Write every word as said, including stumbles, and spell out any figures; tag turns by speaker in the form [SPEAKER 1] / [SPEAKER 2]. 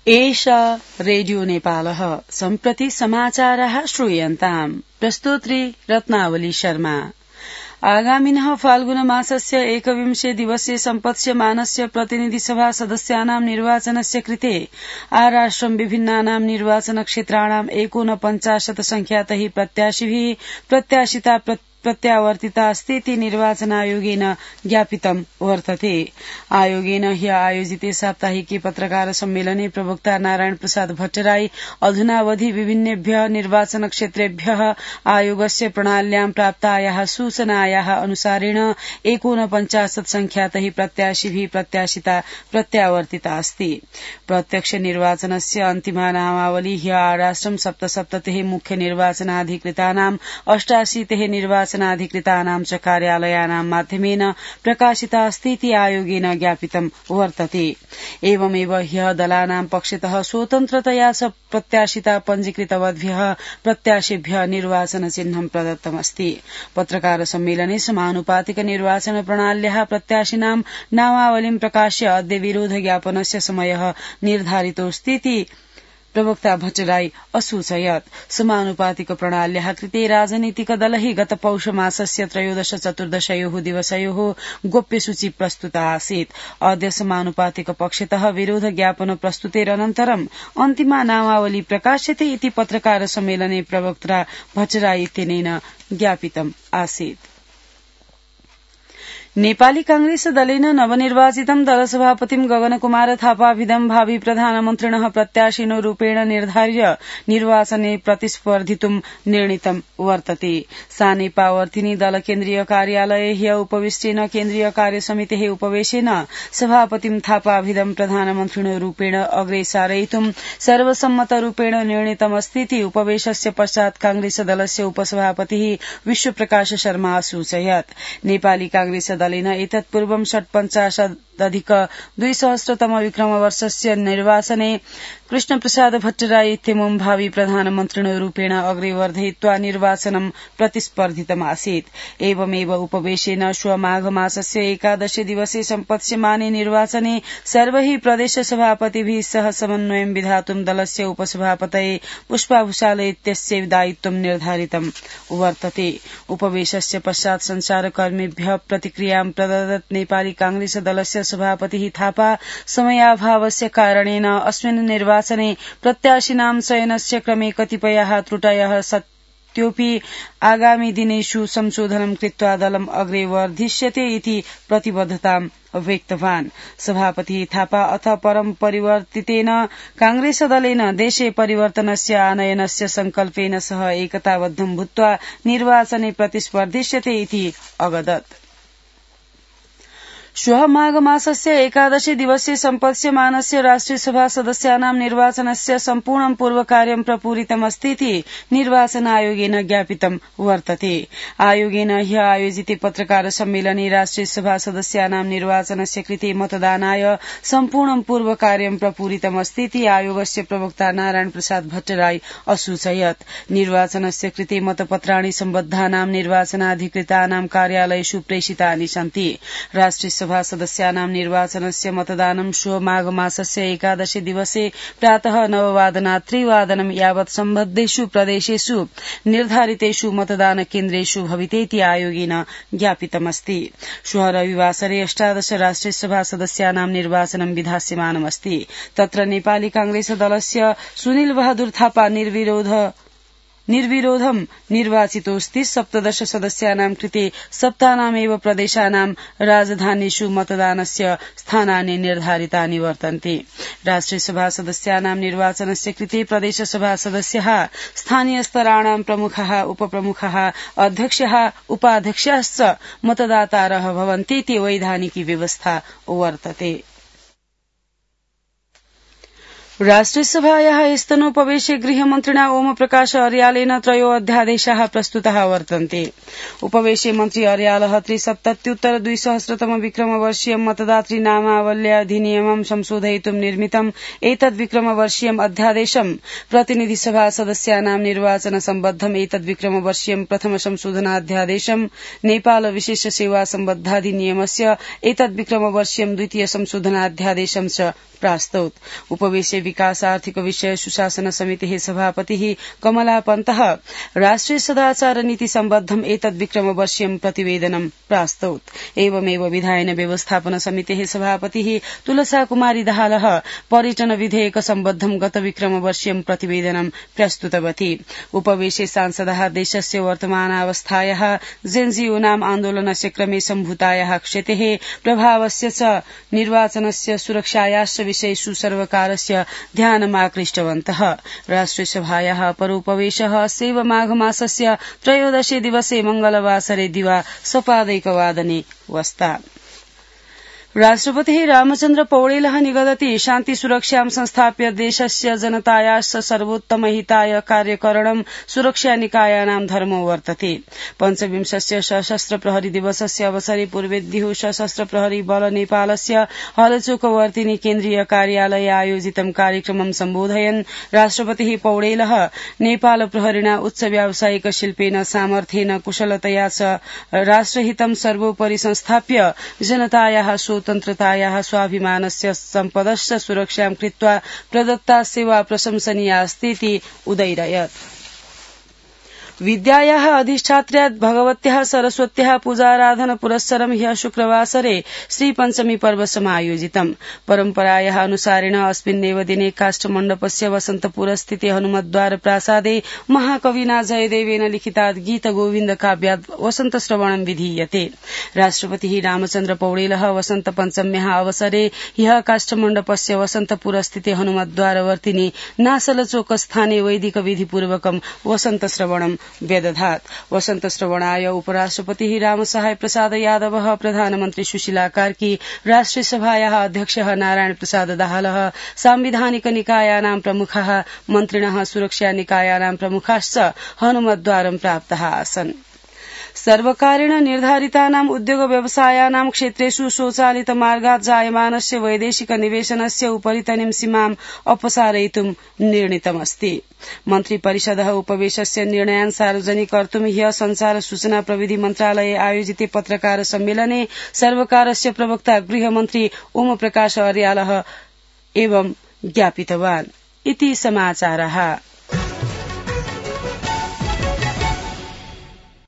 [SPEAKER 1] एषा रेडियो नेपालः सम्प्रति समाचाराः श्रूयन्ताम् प्रस्तोत्री रत्नावली शर्मा। आगामिनः फाल्गुन मासस्य एकविंशे दिवसे सम्पत्स्यमानस्य प्रतिनिधिसभा सदस्यानां निर्वाचनस्य कृते आराष्ट्रं विभिन्नानां निर्वाचनक्षेत्राणां एकोनपञ्चाशत् संख्यातैः प्रत्याशिभिः प्रत्याशिता प्रत्यावर्तिता अस्तीति निर्वाचनायोगेन ज्ञापितं वर्तते। आयोगेन ह्य आयोजिते साप्ताहिके पत्रकार सम्मेलने प्रवक्ता नारायण प्रसाद भट्टराई अधुनावधि विभिन्नेभ्यः निर्वाचनक्षेत्रेभ्यः आयोगस्य प्रणाल्यां प्राप्तायाः सूचनायाः अनुसारेण एकोनपञ्चाशत् संख्यातैः प्रत्याशिभिः प्रत्याशिता प्रत्यावर्तिता अस्ति। प्रत्यक्ष निर्वाचनस्य अन्तिमा नामावली ह्य आराष्ट्रं सप्तसप्ततिः मुख्य निर्वाचनाधिकृतानां अष्टाशीतिः निर्वाचनाधिकृतानां च कार्यालयानां माध्यमेन प्रकाशिता अस्तीति आयोगेन ज्ञापितं वर्तते। एवमेव ह्यः दलानां पक्षतः स्वतन्त्रतया च प्रत्याशिता पञ्जीकृतवद्भ्यः प्रत्याशिभ्यः निर्वाचन चिह्नं प्रदत्तमस्ति। पत्रकार सम्मेलने समानुपातिक निर्वाचन प्रणाल्याः प्रत्याशिनां नामावलीं प्रकाश्य अद्य विरोध ज्ञापनस्य समयः निर्धारितोऽस्तीति प्रवक्ता भट्टराई असूचयत्। समानुपातिक प्रणाल्याः कृते राजनीतिक दलैः गत पौष मासस्य त्रयोदश चतुर्दशयोः दिवसयोः गोप्यसूची प्रस्तुता आसीत्। अद्य समानुपातिक पक्षतः विरोध ज्ञापन प्रस्तुतेरनन्तरम् अन्तिमा नामावली प्रकाश्यते इति पत्रकार सम्मेलने प्रवक्ता भट्टराई इत्यनेन ज्ञापितम् आसीत्। नेपाली कांग्रेस दलेन नवनिर्वाचितं दलसभापतिं गगनकुमार थापाभिधं भावी प्रधानमन्त्रिणः प्रत्याशिनो रूपेण निर्धार्य निर्वाचने प्रतिस्पर्धितुं निर्णीतं वर्तते। सानेपावर्तिनी दल केन्द्रीय कार्यालये ह्य उपविष्टेन केन्द्रीय कार्यसमितेः उपवेशेन सभापतिं थापाभिधं प्रधानमन्त्रिणो रूपेण अग्रे सारयितुं सर्वसम्मतरूपेण निर्णीतमस्तीति उपवेशस्य पश्चात् कांग्रेस दलस्य उपसभापतिः विश्वप्रकाश शर्मा असूचयत्। नेपाली कांग्रेस दलेन एतत्पूर्वं षट्पञ्चाशदधिक द्विसहस्रतम विक्रमवर्षस्य निर्वाचने कृष्णप्रसाद भट्टराई इत्यमुं भावी प्रधानमन्त्रिणो रूपेण अग्रे वर्धयित्वा निर्वाचनं प्रतिस्पर्धितमासीत्। एवमेव उपवेशेन श्व माघ मासस्य एकादशे दिवसे सम्पत्स्यमाने निर्वाचने सर्वैः प्रदेश सभापतिभिः सह समन्वयं विधातुं दलस्य उपसभापतये पुष्पाभूषाल इत्यस्य दायित्वं निर्धारितं वर्तते। उपवेशस्य पश्चात् संचारकर्मीभ्यः प्रतिक्रियां प्रददत् नेपाली कांग्रेस दलस्य सभापतिः थापा समयाभावस्य कारणेन अस्मिन् निर्वाचने प्रत्याशिनां चयनस्य क्रमे कतिपयाः त्रुटयः सत्योऽपि आगामी दिनेषु संशोधनं कृत्वा दलम् अग्रे वर्धिष्यते इति प्रतिबद्धतां व्यक्तवान्। सभापति थापा अथ परं परिवर्तितेन कांग्रेस दलेन देशे परिवर्तनस्य आनयनस्य संकल्पेन सह एकताबद्धं भूत्वा निर्वाचने प्रतिस्पर्धिष्यते इति अवदत्। श्वः माघ मासस्य एकादशे दिवसे सम्पत्स्यमानस्य राष्ट्रियसभा सदस्यानां निर्वाचनस्य सम्पूर्णं पूर्वकार्यं प्रपूरितमस्तीति निर्वाचन आयोगेन ज्ञापितं वर्तते। आयोगेन ह्य आयोजिते पत्रकार सम्मेलने राष्ट्रियसभा सदस्यानां निर्वाचनस्य कृते मतदानाय सम्पूर्णं पूर्वकार्यं प्रपूरितमस्तीति आयोगस्य प्रवक्ता नारायण प्रसाद भट्टराई असूचयत्। निर्वाचनस्य कृते मतपत्राणि सम्बद्धानां निर्वाचनाधिकृतानां कार्यालयेषु प्रेषितानि सन्ति। राष्ट्रिय सभा सदस्यानां निर्वाचनस्य मतदानं श्व माघ मासस्य एकादशे दिवसे प्रातः नववादनात् त्रिवादनं यावत् सम्बद्धेषु प्रदेशेषु निर्धारितेषु मतदान केन्द्रेषु भवितेति आयोगेन ज्ञापितमस्ति। श्वः रविवासरे अष्टादश राष्ट्रियसभा सदस्यानां निर्वाचनं विधास्यमानमस्ति। तत्र नेपाली कांग्रेस दलस्य सुनील बहादुर थापा निर्विरोध निर्विरोधं निर्वाचितोऽस्ति। सप्तदश सदस्यानां कृते सप्तानामेव प्रदेशानां राजधानीषु मतदानस्य स्थानानि निर्धारितानि वर्तन्ते। राष्ट्रियसभा सदस्यानां निर्वाचनस्य कृते प्रदेशसभा सदस्यः स्थानीयस्तराणां प्रमुखः उपप्रमुखः अध्यक्षः उपाध्यक्षाश्च मतदातारः भवन्तीति वैधानिकी व्यवस्था वर्तते। राष्ट्रियसभायाः स्तनोपवेशे गृहमन्त्रिणा ओम प्रकाश अर्यालेन त्रयो अध्यादेशाः प्रस्तुताः वर्तन्ते। उपवेशे मन्त्री अर्यालः त्रिसप्तत्युत्तर द्विसहस्रतम विक्रमवर्षीयं मतदातृ नामावल्याधिनियमं संशोधयितुं निर्मितम् एतद् विक्रमवर्षीयम् अध्यादेशं प्रतिनिधिसभा सदस्यानां निर्वाचन सम्बद्धम् एतद् विक्रमवर्षीयं प्रथम संशोधनाध्यादेशं नेपाल विशेष सेवा सम्बद्धाधिनियमस्य एतद् विक्रमवर्षीयं द्वितीय संशोधनाध्यादेशं च प्रास्तौत्। उपवेशे विकास आर्थिक विषय सुशासन समितिः सभापतिः कमला पन्तः राष्ट्रिय सदाचार नीति सम्बद्धम् एतद् विक्रमवर्षीयं प्रतिवेदनं प्रास्तौत्। एवमेव विधायन व्यवस्थापन समितेः सभापतिः तुलसा कुमारी दाहालः पर्यटन विधेयक सम्बद्धं गत विक्रमवर्षीयं प्रतिवेदनं प्रस्तुतवती। उपवेशे सांसदाः देशस्य वर्तमानावस्थायाः जेन्जीओनाम आन्दोलनस्य क्रमे सम्भूतायाः क्षतेः प्रभावस्य च निर्वाचनस्य सुरक्षायाश्च विषयेषु सर्वकारस्य ध्यानमाकृष्टवन्तः। राष्ट्रियसभायाः परोपवेशः अस्य माघमासस्य त्रयोदशे दिवसे मंगलवासरे दिवा सपादैकवादने वस्ता। राष्ट्रपतिः रामचन्द्र पौडेलः निगदति शान्ति सुरक्षां संस्थाप्य देशस्य जनतायाश्च सर्वोत्तमहिताय कार्यकरणं सुरक्षानिकायानां धर्मो वर्तते। पञ्चविंशस्य सशस्त्र प्रहरी दिवसस्य अवसरे पूर्वेद्युः सशस्त्र प्रहरी बल नेपालस्य हलचोकवर्तिनी केन्द्रीय कार्यालये आयोजितं कार्यक्रमं सम्बोधयन् राष्ट्रपतिः पौडेलः नेपाल प्रहरिणा उच्च व्यावसायिक शिल्पेन सामर्थ्येन कुशलतया च राष्ट्रहितं सर्वोपरि संस्थाप्य जनतायाः स्वतन्त्रतायाः स्वाभिमानस्य सम्पदश्च सुरक्षां कृत्वा प्रदत्ता सेवा प्रशंसनीया अस्तीति उदैरयत्। विद्यायाः अधिष्ठात्र्या भगवत्याः सरस्वत्याः पूजाराधन पुरस्सरं ह्यः शुक्रवासरे श्रीपञ्चमी पर्व समायोजितम्। परम्परायाः अनुसारेण अस्मिन्नेव दिने काष्ठमण्डपस्य वसन्तपुरस्थिते हनुमद्वार प्रासादे महाकविना जयदेवेन लिखितात् गीत गोविन्द काव्यात् वसन्तश्रवणं विधीयते। राष्ट्रपतिः रामचन्द्र पौडेलः वसन्त पञ्चम्याः अवसरे ह्यः काष्ठमण्डपस्य वसन्तपुरस्थिते हनुमद्वारवर्तिनि नासलचोकस्थाने वैदिक विधिपूर्वकं वसन्तश्रवणं व्यदधात्। वसन्तश्रवणाय उपराष्ट्रपतिः रामसहाय प्रसाद यादवः, प्रधानमन्त्री सुशीला कार्की, राष्ट्रियसभायाः अध्यक्षः नारायण प्रसाद दाहालः, सांविधानिक निकायानां प्रमुखाः, मन्त्रिणः, सुरक्षा निकायानां प्रमुखाश्च हनुमद्वारं प्राप्ताः आसन्। सर्वकारेण निर्धारितानां उद्योग व्यवसायानां क्षेत्रेषु स्वचालित मार्गात् जायमानस्य वैदेशिक निवेशनस्य उपरितनीं सीमाम् अपसारयितुं निर्णीतमस्ति। मन्त्रिपरिषदः उपवेशस्य निर्णयान् सार्वजनिकर्तुं ह्यः संचार सूचना प्रविधि मन्त्रालये आयोजिते पत्रकार सम्मेलने सर्वकारस्य प्रवक्ता गृहमन्त्री ओम प्रकाश अर्यालः एवं ज्ञापितवान्। इति समाचारः।